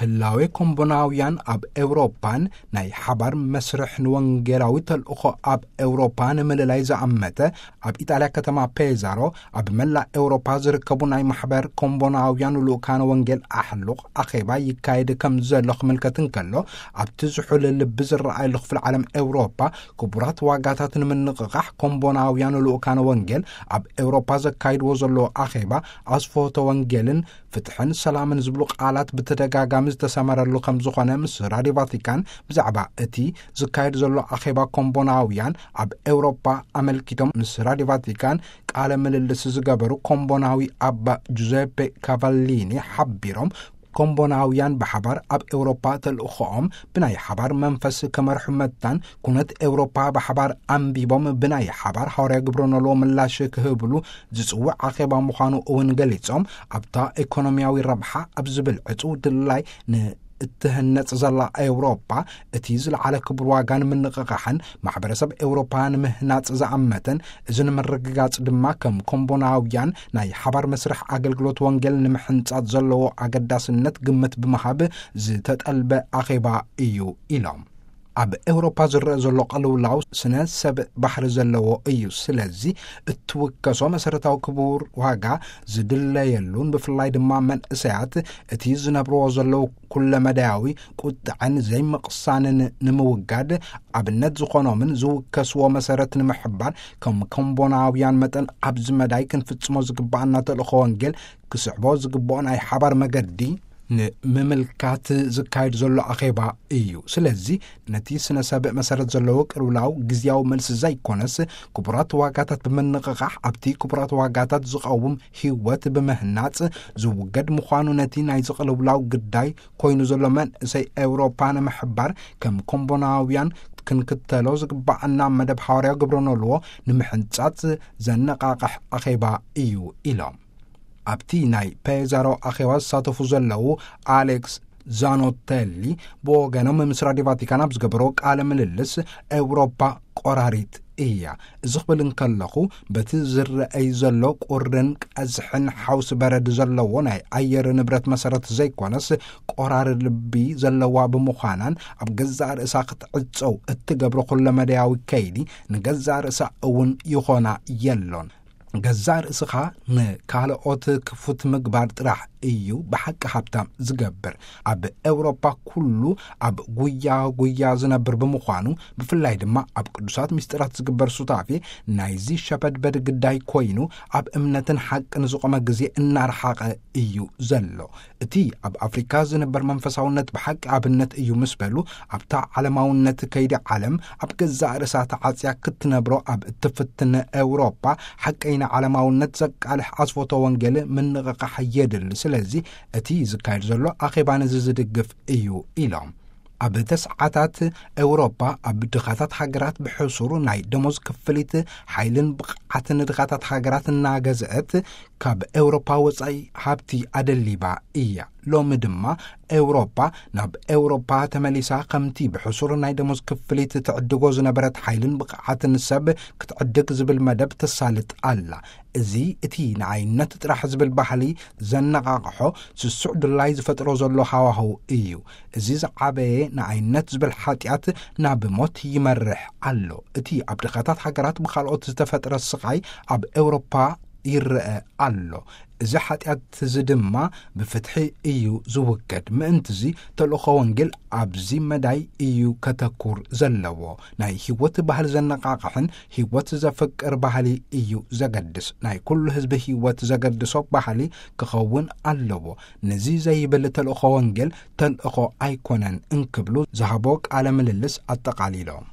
ህላዌ ኮምቦናውያን ኣብ ኤውሮፓን ናይ ሓባር መስርሕ ንወንጌላዊ ተልእኾ ኣብ ኤውሮፓ ንምልላይ ዝኣመተ፣ ኣብ ኢጣልያ ከተማ ፔዛሮ ኣብ መላእ ኤውሮፓ ዝርከቡ ናይ ማሕበር ኮምቦናውያን ልኡካነ ወንጌል ኣሕሉቕ ኣኼባ ይካየድ ከም ዘሎ ክምልከት እንከሎ፣ ኣብቲ ዝሑል ልቢ ዝረኣየሉ ክፍለ ዓለም ኤውሮፓ፣ ክቡራት ዋጋታት ንምንቕቓሕ ኮምቦናውያን ልኡካነ ወንጌል ኣብ ኤውሮፓ ዘካይድዎ ዘለዎ ኣኼባ ኣስፍሆተ ወንጌልን ፍትሕን ሰላምን ዝብሉ ቃላት ብተደጋጋሚ ዝተሰመረሉ ከም ዝኾነ ምስ ራድዮ ቫቲካን ብዛዕባ እቲ ዝካየድ ዘሎ ኣኼባ ኮምቦናውያን ኣብ ኤውሮፓ ኣመልኪቶም ምስ ራድዮ ቫቲካን ቃለ ምልልስ ዝገበሩ ኮምቦናዊ ኣባ ጁዘፔ ካቫሊኒ ሓቢሮም፣ ኮምቦናውያን ብሓባር ኣብ ኤውሮፓ ተልእኾኦም ብናይ ሓባር መንፈስ ከመርሑ መታን፣ ኩነት ኤውሮፓ ብሓባር ኣንቢቦም ብናይ ሓባር ሃዋርያ ግብረ ኖልዎ ምላሽ ክህብሉ ዝጽውዕ ኣኼባ ምዃኑ እውን ገሊጾም፣ ኣብታ ኢኮኖሚያዊ ረብሓ ኣብ ዝብል ዕጹው ድላይ ንእትህነጽ ዘላ ኤውሮፓ እቲ ዝለዓለ ክቡር ዋጋ ንምንቕቓሕን ማሕበረሰብ ኤውሮፓ ንምህናጽ ዝኣመተን፣ እዚ ንምርግጋጽ ድማ ከም ኮምቦናውያን ናይ ሓባር መስርሕ ኣገልግሎት ወንጌል ንምሕንጻጽ ዘለዎ ኣገዳስነት ግምት ብምሃብ ዝተጠልበ ኣኼባ እዩ ኢሎም። ኣብ ኤውሮፓ ዝረአ ዘሎ ቅልውላው ስነ ሰብ ባህሪ ዘለዎ እዩ። ስለዚ እትውከሶ መሰረታዊ ክቡር ዋጋ ዝድለየሉን ብፍላይ ድማ መንእሰያት እቲ ዝነብርዎ ዘለዉ ኩለመዳያዊ ቁጥዐን ዘይምቕሳንን ንምውጋድ ኣብነት ዝኾኖምን ዝውከስዎ መሰረት ንምሕባር ከም ኮምቦናውያን መጠን ኣብዚ መዳይ ክንፍጽሞ ዝግባኣና ተልእኾ ወንጌል ክስዕቦ ዝግብኦ ናይ ሓባር መገዲ ንምምልካት ዝካየድ ዘሎ ኣኼባ እዩ። ስለዚ ነቲ ስነ ሰብ መሰረት ዘለዎ ቅልውላው ግዝያዊ መልሲ ዘይኮነስ ክቡራት ዋጋታት ብምንቕቓሕ ኣብቲ ክቡራት ዋጋታት ዝቐውም ህይወት ብምህናጽ ዝውገድ ምዃኑ ነቲ ናይ ዝቕልውላው ግዳይ ኮይኑ ዘሎ መንእሰይ ኤውሮፓ ንምሕባር ከም ኮምቦናውያን ክንክተሎ ዝግባኣና መደብ ሃዋርያዊ ግብረ ኖልዎ ንምሕንጻጽ ዘነቓቕሕ ኣኼባ እዩ ኢሎም። ኣብቲ ናይ ፔዛሮ ኣኼባ ዝሳተፉ ዘለዉ ኣሌክስ ዛኖቴሊ ብወገኖም ምስ ራድዮ ቫቲካን ኣብ ዝገበሮ ቃለ ምልልስ፣ ኤውሮፓ ቆራሪት እያ። እዚ ክብል እንከለኹ በቲ ዝረአይ ዘሎ ቁርን ቀዝሕን ሓውሲ በረድ ዘለዎ ናይ ኣየር ንብረት መሰረት ዘይኮነስ፣ ቆራሪ ልቢ ዘለዋ ብምዃናን ኣብ ገዛእ ርእሳ ክትዕጸው እትገብሮ ኩለመዳያዊ ከይዲ ንገዛእ ርእሳ እውን ይኾና የሎን። ገዛእ ርእስኻ ንካልኦት ክፉት ምግባር ጥራሕ እዩ ብሓቂ ሃብታም ዝገብር። ኣብ ኤውሮፓ ኩሉ ኣብ ጉያ ጉያ ዝነብር ብምዃኑ፣ ብፍላይ ድማ ኣብ ቅዱሳት ምስጢራት ዝግበር ሱታፌ ናይዚ ሸበድበድ ግዳይ ኮይኑ፣ ኣብ እምነትን ሓቅን ዝቖመ ግዜ እናረሓቐ እዩ ዘሎ። እቲ ኣብ ኣፍሪካ ዝንበር መንፈሳውነት ብሓቂ ኣብነት እዩ ምስ በሉ፣ ኣብታ ዓለማውነት ከይዲ ዓለም ኣብ ገዛእ ርእሳ ተዓጽያ ክትነብሮ ኣብ እትፍትን ኤውሮፓ፣ ሓቀይና ዓለማውነት ዘቃልሕ ኣስፎቶ ወንጌል ምንቕቓሕ የድሊ። ስለዚ እቲ ዝካየድ ዘሎ ኣኼባ ነዚ ዝድግፍ እዩ ኢሎም። ኣብ ተስዓታት ኤውሮፓ ኣብ ድኻታት ሃገራት ብሕሱር ናይ ደሞዝ ክፍሊት ሓይልን ብቕዓትን ድኻታት ሃገራት እናገዝአት ካብ ኤውሮፓ ወጻኢ ሃብቲ ኣደሊባ እያ። ሎሚ ድማ ኤውሮፓ ናብ ኤውሮፓ ተመሊሳ ከምቲ ብሕሱር ናይ ደሞዝ ክፍሊት ትዕድጎ ዝነበረት ሓይልን ብቕዓትን ሰብ ክትዕድግ ዝብል መደብ ተሳልጥ ኣላ። እዚ እቲ ንኣይነት ጥራሕ ዝብል ባህሊ ዘነቓቕሖ ስሱዕ ድላይ ዝፈጥሮ ዘሎ ሃዋህው እዩ። እዚ ዝዓበየ ንኣይነት ዝብል ሓጢኣት ናብ ሞት ይመርሕ ኣሎ። እቲ ኣብ ድኻታት ሃገራት ብኻልኦት ዝተፈጥረ ስቓይ ኣብ ኤውሮፓ ይረአ ኣሎ። እዚ ሓጢኣት እዚ ድማ ብፍትሒ እዩ ዝውገድ። ምእንትዚ ተልእኾ ወንጌል ኣብዚ መዳይ እዩ ከተኩር ዘለዎ። ናይ ህይወት ባህሊ ዘነቓቕሕን ህይወት ዘፍቅር ባህሊ እዩ ዘገድስ። ናይ ኩሉ ህዝቢ ህይወት ዘገድሶ ባህሊ ክኸውን ኣለዎ። ነዚ ዘይብል ተልእኾ ወንጌል ተልእኾ ኣይኮነን እንክብሉ ዝሃቦ ቃለ ምልልስ ኣጠቓሊሎም።